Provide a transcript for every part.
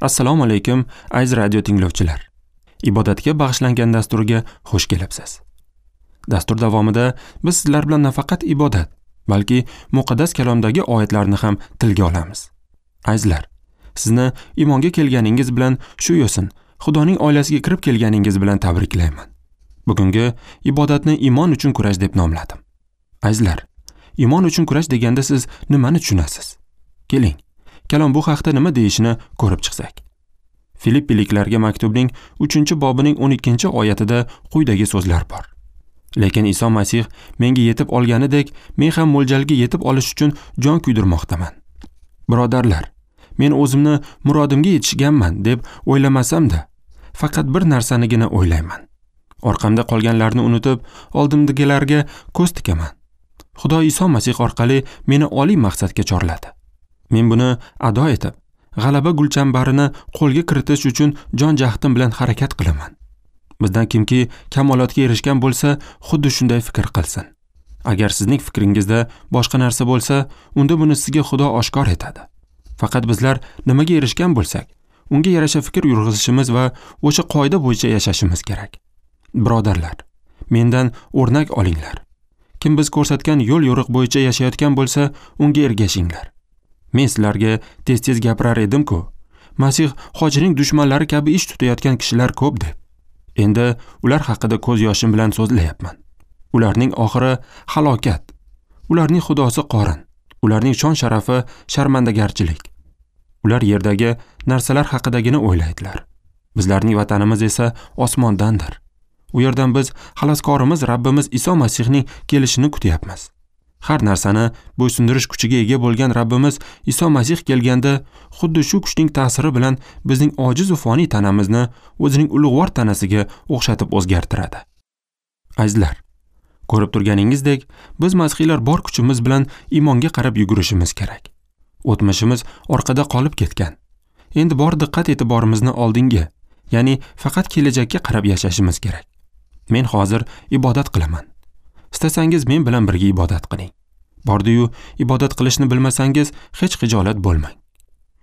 Assalomu alaykum, aziz radio tinglovchilar. Ibodatga bag'ishlangan dasturga xush kelibsiz. Dastur davomida biz sizlar bilan nafaqat ibodat, balki muqaddas kalomdagi oyatlarni ham tilga olamiz. Azizlar, sizni iymonga kelganingiz bilan shu yo'sin Xudoning oilasiga kirib kelganingiz bilan tabriklayman. Bugungi ibodatni iymon uchun kurash deb nomladim. Azizlar, iymon uchun kurash deganda siz nimani tushunasiz? Keling, kalom bu haqda nima deyishini ko'rib chiqsak. Filippiliklarga maktubning 3-bobining 12-oyatida quyidagi so'zlar bor. Lekin Iso Masih menga yetib olganidek, men ham mo'ljalga yetib olish uchun jon kuydirmoqdaman. Birodarlar, men o'zimni murodimga yetishganman deb o'ylamasam-da, faqat bir narsanigina o'ylayman. Orqamda qolganlarni unutib, oldimdagilarga ko'z tikaman. Xudo Iso Masih orqali meni oliy maqsadga chorladi. Men buni ado etib, g'alaba gulchambarini qo'lga kiritish uchun jon jahdim bilan harakat qilaman. Bizdan kimki kamolotga erishgan bo'lsa, xuddi shunday fikr qilsin. Agar sizning fikringizda boshqa narsa bo'lsa, unda buni sizga Xudo oshkor etadi. Faqat bizlar nimaga erishgan bo'lsak, unga yarasha fikr yurg'izishimiz va o'sha qoida bo'yicha yashashimiz kerak. Birodarlar, mendan o'rnak olinglar. Kim biz ko'rsatgan yo'l-yo'riq bo'yicha yashayotgan bo'lsa, unga ergashinglar. Men sizlarga tez-tez gapirar edim-ku, Masih hojining dushmanlari kabi ish tutayotgan kishilar ko'p deb. Endi ular haqida ko'z yoshim bilan so'zlayapman. Ularning oxiri halokat. Ularning xudosi qorin. Ularning shon-sharafi sharmandagarchilik. Ular yerdagi narsalar haqidagina o'ylaydilar. Bizlarning vatanimiz esa osmondandir. U yerdan biz xaloskorimiz Rabbimiz Iso Masihning kelishini kutyapmiz. Har narsani bo'ysundirish kuchiga ega bo'lgan Rabbimiz Iso Masih kelganda, xuddi shu kuchning ta'siri bilan bizning ojiz va foniy tanamizni o'zining ulug'vor tanasiga o'xshatib o'zgartiradi. Azizlar, ko'rib turganingizdek, biz masihiylar bor kuchimiz bilan iymonga qarab yugurishimiz kerak. O'tmishimiz orqada qolib ketgan. Endi bor diqqat e'tiborimizni oldinga, ya'ni faqat kelajakka qarab yashashimiz kerak. Men hozir ibodat qilaman. Istasangiz men bilan birga ibodat qiling. Bordi-yu ibodat qilishni bilmasangiz hech xijolat bo'lmang.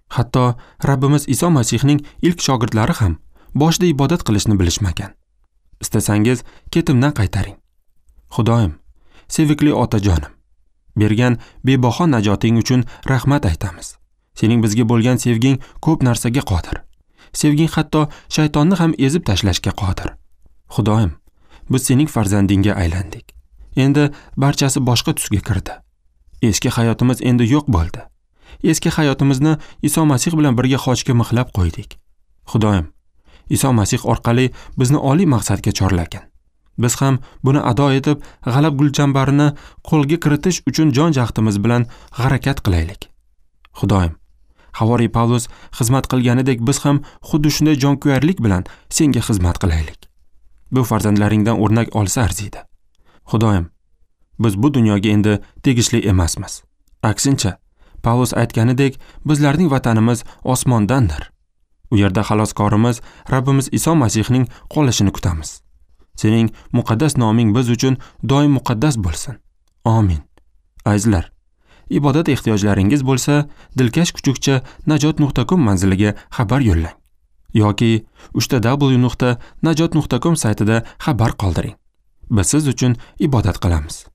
Hatto Rabbimiz Iso Masihning ilk shogirdlari ham boshida ibodat qilishni bilishmagan. Istasangiz ketimdan qaytaring. Xudoyim, sevikli otajonim, bergan bebaho najoting uchun rahmat aytamiz. Sening bizga bo'lgan sevging ko'p narsaga qodir. Sevging hatto shaytonni ham ezib tashlashga qodir. Xudoyim, biz sening farzandingga aylandik. Endi barchasi boshqa tusga kirdi. Eski hayotimiz endi yo'q bo'ldi. Eski hayotimizni Iso Masih bilan birga xochga mixlab qo'ydik. Xudoyim, Iso Masih orqali bizni oliy maqsadga chorlagin. Biz ham buni ado etib, g'alab gulchambarini qo'lga kiritish uchun jon jahdimiz bilan harakat qilaylik. Xudoyim, Havoriy Pavlus xizmat qilganidek biz ham xuddi shunday jonkuyarlik bilan senga xizmat qilaylik. Bu farzandlaringdan o'rnak olsa arziydi. Xudoyim, biz bu dunyoga endi tegishli emasmiz. Aksincha, Pavlus aytganidek, bizlarning vatanimiz osmondandir. U yerda xaloskorimiz Rabbimiz Iso Masihning qolishini kutamiz. Sening muqaddas noming biz uchun doim muqaddas bo'lsin. Amin. Azizlar, ibodat ehtiyojlaringiz bo'lsa, dilkash kuchukcha najot.com manziliga xabar yo'llang yoki www.najot.com saytida xabar qoldiring. Biz siz uchun ibodat qilamiz.